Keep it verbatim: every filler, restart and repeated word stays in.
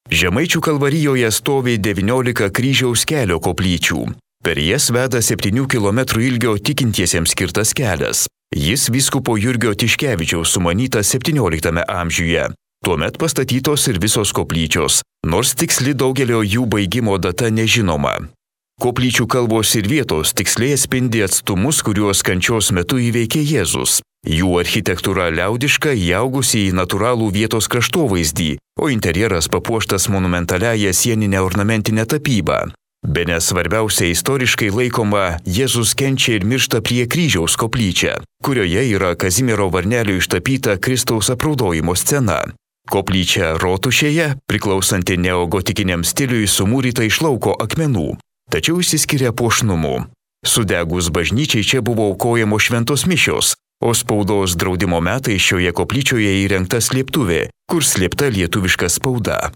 Žemaičių Kalvarijoje stovi devyniolika kryžiaus kelio koplyčių. Per jas veda septynių kilometrų ilgio tikintiesiems skirtas kelias. Jis vyskupo Jurgio Tiškevičiaus sumanytas septynioliktame amžiuje. Tuomet pastatytos ir visos koplyčios, nors tiksli daugelio jų baigimo data nežinoma. Koplyčių kalbos ir vietos tiksliai atspindi atstumus, kuriuos kančios metu įveikė Jėzus. Jų architektūra liaudiška, įaugusi į natūralų vietos kraštovaizdį, o interjeras papuoštas monumentaliąją sieninę ornamentinę tapybą. Bene svarbiausia istoriškai laikoma Jėzus kenčia ir miršta prie kryžiaus koplyčia, kurioje yra Kazimiero varnelio ištapyta Kristaus apraudojimo scena. Koplyčia Rotušėje, priklausanti neogotikiniam stiliui, sumūryta iš lauko akmenų, tačiau išsiskiria puošnumu. Sudegus bažnyčiai čia buvo aukojamos šventos mišios, o spaudos draudimo metais šioje koplyčioje įrengta slėptuvė, kur slėpta lietuviška spauda.